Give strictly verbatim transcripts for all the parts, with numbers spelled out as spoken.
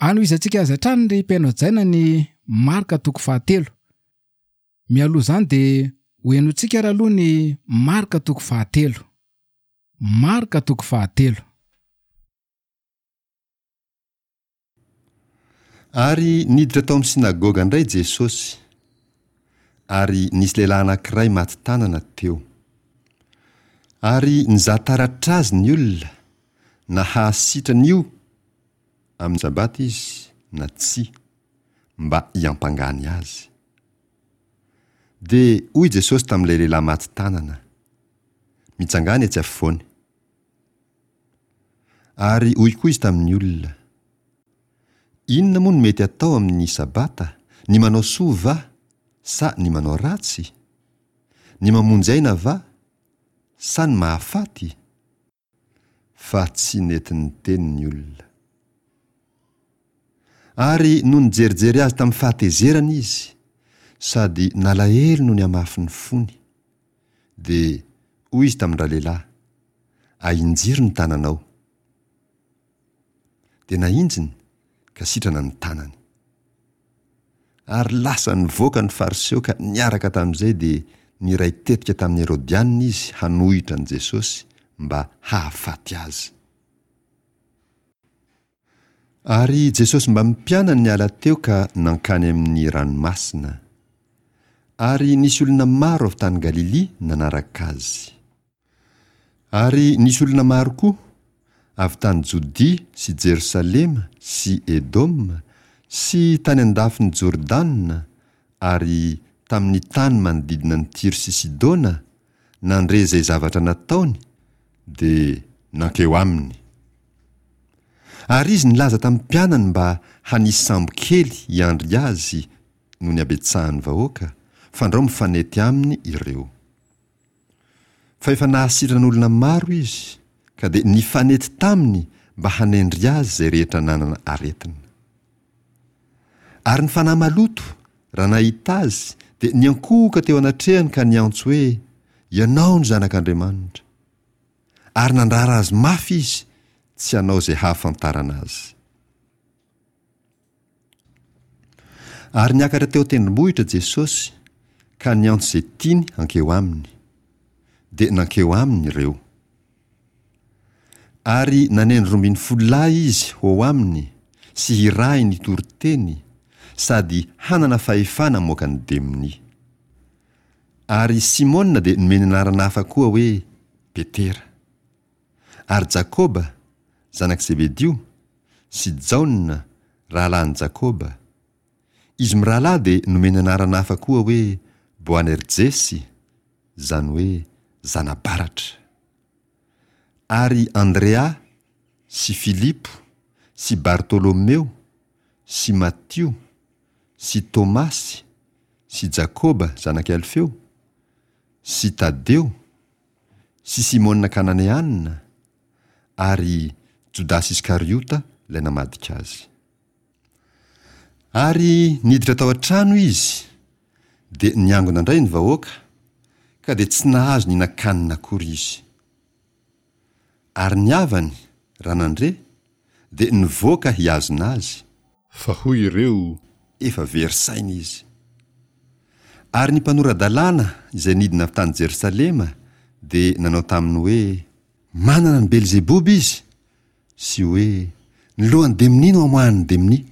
Anohizantsika azy hatrany ry mpihaino hajaina ny Marka toko fahatelo. Mialoha izany dia ho henointsika ary aloha ny Marka toko fahatelo. Marka toko fahatelo. Ary niditra tao amin'ny synagoga indray Jesosy, ary nisy lehilahy anankiray maty tanana teo. Ary nizaha taratra azy ny olona, na hahasitrana io amin'ny Sabata izy na tsia, mba hiampangany azy. Dia hoy Jesosy tamin'ilay lehilahy maty tanana, Mitsangàna etsy afovoany. Ary hoy koa izy tamin'ny olona, Inona moa no mety atao amin'ny Sabata, ny manao soa va, sa ny manao ratsy? Ny mamonjy aina va, sa ny mahafaty? Fa tsy nety niteny ny olona. Ary nony nijerijery azy tamin'ny fahatezerana izy, sady nalahelo noho ny hamafin'ny fony, dia hoy izy tamin-dralehilahy, Ahinjiro ny tananao. Dia nahinjiny, ka sitrana ny tanany. Ary lasa nivoaka ny Fariseo ka niaraka tamin'izay dia niray tetika tamin'ny Herodianina izy hanohitra an'i Jesosy mba hahafaty azy. Ary Jesosy mbamin'ny mpianany niala teo ka nankany amin'ny ranomasina. Ary nisy olona maro avy tany Galilia nanaraka azy. Ary nisy olona maro koa, avy tany Jodia sy Jerosalema sy Edoma sy tany an-dafin'i Jordana ary tamin'ny tany manodidina an'i Tyro sy Sidona, nandre izay zavatra nataony, dia nankeo aminy. Ary izy nilaza tamin'ny mpianany mba hanisy sambo kely hiandry azy noho ny habetsahan'ny vahoaka, fandrao mifanety aminy ireo. Fa efa nahasitrana olona maro izy, ka dia nifanety taminy mba hanendry azy izay rehetra nanana aretina. Ary ny fanahy maloto, raha nahita azy, dia niankohoka teo anatrehany ka niantso hoe, Ianao no Zanak'Andriamanitra. Ary nandrara azy mafy izy tsy hanao izay hahafantarana azy. Ary niakatra teo an-tendrombohitra Jesosy ka niantso izay tiany hankeo aminy. Dia nankeo aminy ireo. Ary nanendry roa ambin'ny folo lahy izy ho ao aminy sy hirahiny hitory teny sady hanana fahefana hamoaka ny demonia. Ary Simona dia nomeny anarana hafa koa hoe Petera. Ary Jakoba, zanak'i Zebedio, sy Jaona, rahalahin'i Jakoba. Izy mirahalahy dia nomeny anarana hafa koa hoe Boanerjesy, izany hoe zana-baratra. Ary Andrea sy Filipo sy Bartolomeo sy Matio sy Tomasy sy Jakoba zanak'i Alfeo sy Tadeo sy Simona Kananeana ary Jodasy Iskariota ilay namadika azy. Ary niditra tao an-trano izy, dia niangona indray ny vahoaka, ka dia tsy nahazo nihinan-kanina akory izy. Ary ny havany, raha nandre, dia nivoaka hihazona azy. Fa hoy ireo. Efa very saina izy. Ary ny mpanora-dalàna izay nidina avy tany Jerosalema dia nanao taminy hoe, Manana an'i Belzeboba izy, sy hoe, Ny lohan'ny demonia no amoahan'ny demonia.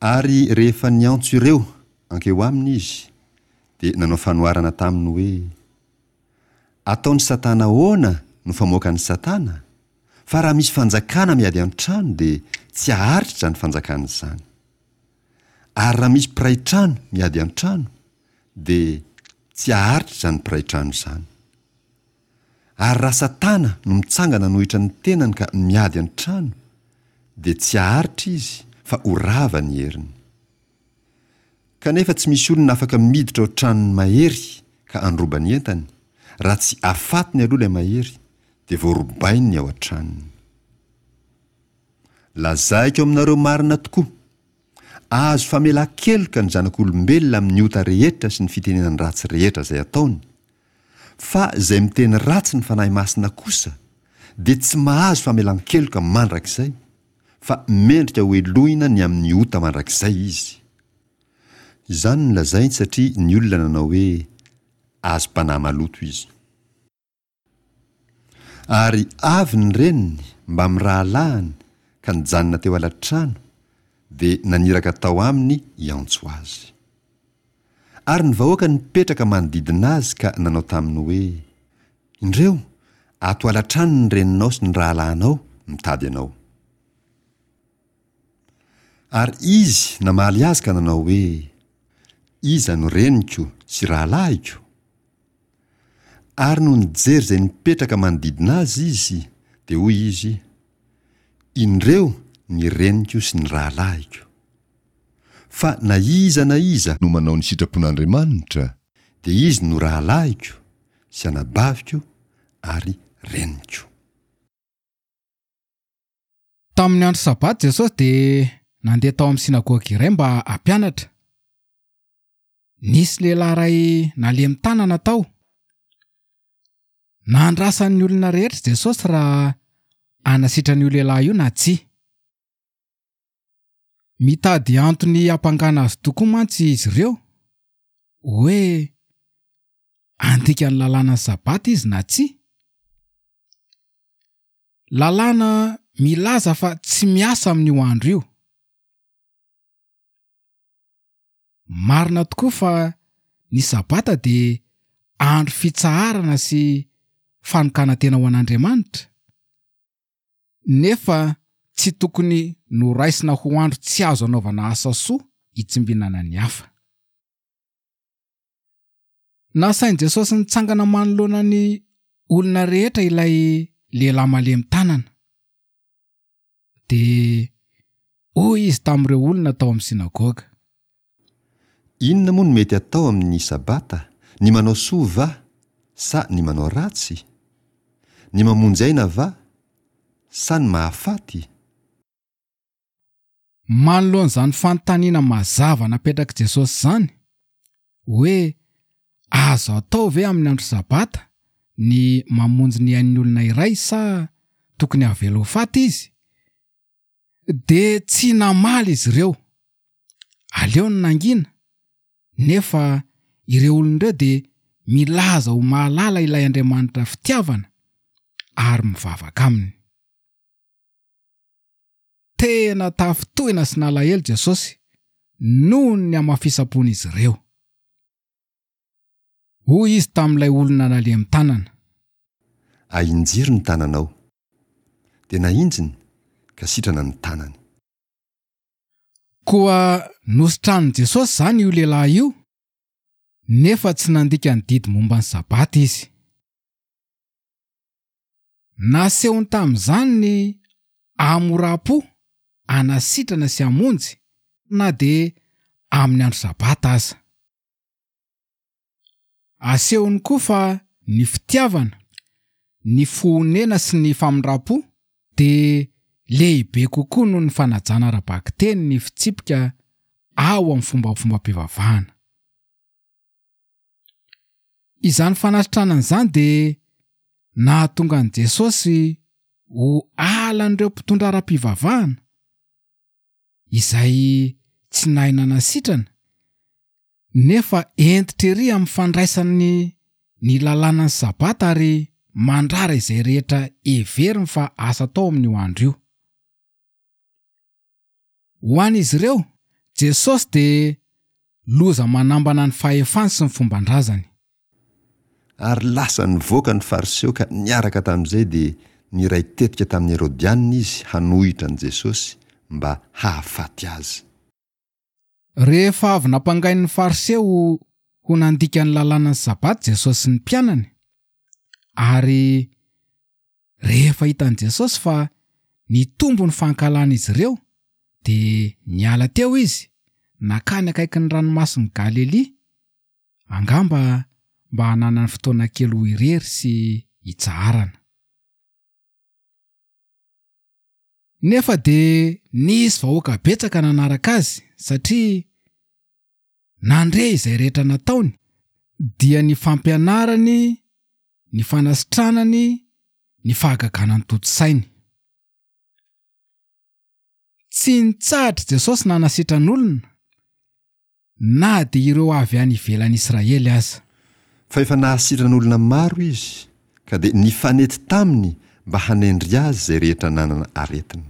Ary rehefa niantso ireo hankeo aminy izy, dia nanao fanoharana taminy hoe, Ataon'i Satana ahoana no famoakan'i Satana? Fa raha misy fanjakana miady an-trano dia tsy haharitra izany fanjakana izany. Ary raha misy mpiray trano miady an-trano dia tsy haharitra izany mpiray trano izany. Ary raha Satana no mitsangana hanohitra ny tenany ka miady an-trano dia tsy haharitra izy fa ho rava ny heriny. Kanefa tsy misy olona afaka miditra ao tranon'ny mahery ka handroba ny entany, raha tsy afatony aloha ilay mahery, dia voarobainy ny ao an-tranony. Lazaiko aminareo marina tokoa, azo famelan-keloka ny zanak'olombelona amin'ny ota rehetra sy ny fitenenan-dratsy rehetra izay ataony, fa izay miteny ratsy ny Fanahy Masina kosa dia tsy mahazo famelan-keloka mandrakizay, fa mendrika hohelohina ny amin'ny ota mandrakizay izy. Izany no lazainy satria ny olona nanao hoe, Azom-panahy maloto izy. Ary avy ny reniny mbamin'ny rahalahiny ka nijanona teo ala-trano, dia naniraka tao aminy hiantso azy. Ary ny vahoaka nipetraka manodidina azy ka nanao taminy hoe, Indreo, ato ala-trano ny reninao sy ny rahalahinao mitady anao. Ary izy namaly azy ka nanao hoe, Iza no reniko sy rahalahiko? Ary nony nijery izay nipetraka manodidina azy izy, dia hoy izy, Indreo ny reniko sy ny rahalahiko. Fa na iza na iza no manao ny sitrapon'Andriamanitra, dia izy no rahalahiko sy anabaviko ary reniko. Tamin'ny andro Sabata Jesosy dia nandeha tao amin'ny synagoga iray mba hampianatra. Nisy lehilahy iray nalemy tanana tao. Nandrasan'ny olona rehetra Jesosy raha hanasitrana io lehilahy io na tsia. Mitady antony hampangana azy tokoa mantsy izy ireo, hoe handika ny lalànan'ny Sabata izy na tsia. Lalàna milaza fa tsy miasa amin'io andro io. Marina tokoa fa ny Sabata dia andro fitsaharana sy fanokanan-tena ho an'Andriamanitra, nefa tsy tokony noraisina ho andro tsy azo anaovana asa soa hitsimbinana ny hafa. Nasain'i Jesosy nitsangana manoloana ny olona rehetra ilay lehilahy malemy tanana. Dia hoy izy tamin'ireo olona tao amin'ny synagoga. Inona moa no mety atao amin'ny Sabata, ny manao soa va sa ny manao ratsy? Ny mamonjy aina va sa ny mahafaty? Manoloana izany fanontaniana mazava napetrak'i Jesosy izany, hoe azo atao ve amin'ny andro Sabata ny mamonjy ny ain'ny olona iray sa tokony havela ho faty izy? Dia tsy namaly izy ireo. Aleony nangina, nefa ireo olona ireo dia milaza ho mahalala ilay Andriamanitra fitiavana ary mivavaka aminy. Tena tafintohina sy nalahelo Jesosy noho ny hamafisam-pon'izy ireo. Hoy izy tamin'ilay olona nalemy tanana. Ahinjiro ny tananao. Dia nahinjiny ka sitrana ny tanany. Koa nositranin'i Jesosy izany io lehilahy io, nefa tsy nandika ny didy momba ny Sabata izy. Nasehony tamin'izany ny hamoram-po hanasitrana sy hamonjy na dia amin'ny andro Sabata aza. Asehony koa fa ny fitiavana, ny fo-honena sy ny famindram-po dia lehibe kokoa noho ny fanajana ara-bakiteny ny fitsipika ao amin'ny fombafombam-pivavahana. Izany fanasitranana izany dia nahatonga an'i Jesosy ho halan'ireo mpitondra ara-pivavahana izay tsy nahay nanasitrana, nefa hentitra ery amin'ny fandraisany ny lalànan'ny Sabata ary mandrara izay rehetra heveriny fa asa atao amin'io andro io. Ho an'izy ireo, Jesosy dia loza manambana ny fahefany sy ny fomban-drazany. Ary lasa nivoaka ny Fariseo ka niaraka tamin'izay dia niray tetika tamin'ny Herodianina izy hanohitra an'i Jesosy mba hahafaty azy. Rehefa avy nampangain'ny Fariseo ho nandika ny lalànan'ny Sabata Jesosy sy ny mpianany, ary rehefa hitan'i Jesosy fa nitombo ny fankahalan'izy ireo, dia niala teo izy, nankany akaikin'ny ranomasin'i Galilia, angamba mba hananany fotoana kely ho irery sy hitsaharana. Nefa dia nisy vahoaka betsaka nanaraka azy satria nandre izay rehetra nataony, dia ny fampianarany, ny fanasitranany, ny fahagagana notontosainy. Tsy nitsahatra Jesosy nanasitran'olona, na dia ireo avy any ivelan'i Israely aza. Fa efa nahasitrana olona maro izy, ka dia nifanety taminy mba hanendry azy izay rehetra nanana aretina.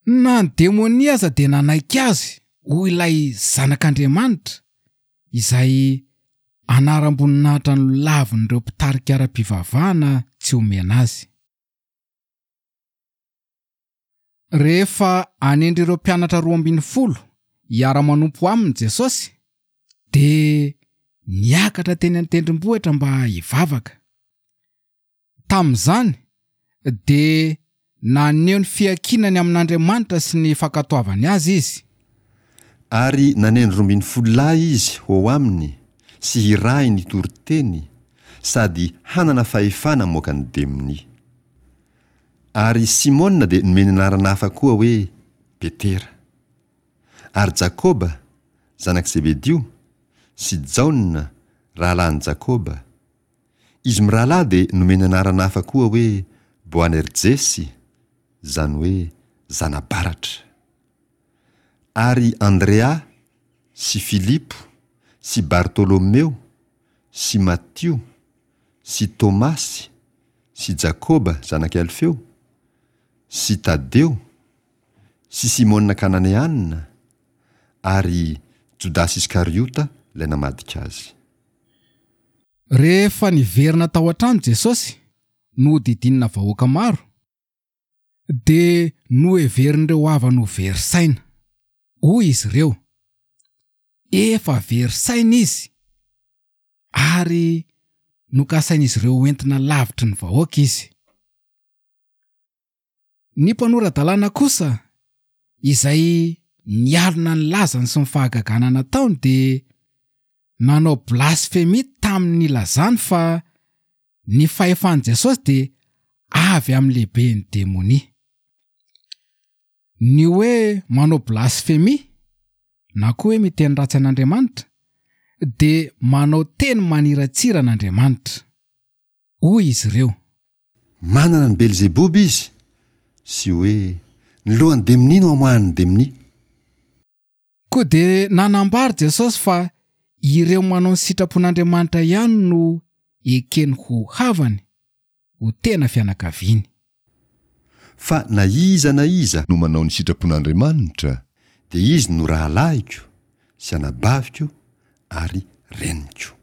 Na ny demonia aza dia nanaiky azy ho ilay Zanak'Andriamanitra, izay anaram-boninahitra nolavin'ireo mpitarika ara-pivavahana tsy omena azy. Rehefa hanendry ireo mpianatra roa ambin'ny folo hiara-manompo aminy Jesosy, dia niakatra teny an-tendrombohitra mba hivavaka. Tamin'izany dia naneho ny fiankinany amin'Andriamanitra sy ny fankatoavany azy izy. Ary nanendry roa ambin'ny folo lahy izy ho ao aminy sy hirahiny hitory teny sady hanana fahefana hamoaka ny demonia. Ary Simona dia nomeny anarana hafa koa hoe Petera. Ary Jakoba, zanak'i Zebedio, sy Jaona, rahalahin'i Jakoba. Izy mirahalahy dia nomeny anarana hafa koa hoe Boanerjesy, izany hoe zana-baratra. Ary Andrea sy Filipo sy Bartolomeo sy Matio sy Tomasy sy Jakoba zanak'i Alfeo sy Tadeo sy Simona Kananeanina ary Jodasy Iskariota ilay namadika azy. Rehefa niverina tao an-trano Jesosy, nohodidinina vahoaka maro, dia noheverin'ireo havany ho very saina. Hoy izy ireo, Efa very saina izy, ary nokasain'izy ireo hoentina lavitry ny vahoaka izy. Ny mpanora-dalàna kosa, izay nialona ny lazany sy ny fahagagana nataony, dia nanao blasfemia tamin'ny nilazany fa ny fahefan'i Jesosy dia avy amin'ny lehiben'ny demonia. Ny hoe manao blasfemia na koa hoe miteny ratsy an'Andriamanitra dia manao teny maniratsira an'Andriamanitra. Hoy izy ireo. Manana an'i Belzeboba izy, sy hoe ny lohan'ny demonia no amoahan'ny demonia. Koa dia nanambara Jesosy fa ireo manao ny sitrapon'Andriamanitra ihany no ekeny ho havany, ho tena fianakaviany. Fa na iza na iza no manao ny sitrapon'Andriamanitra, dia izy no rahalahiko sy anabaviko ary reniko.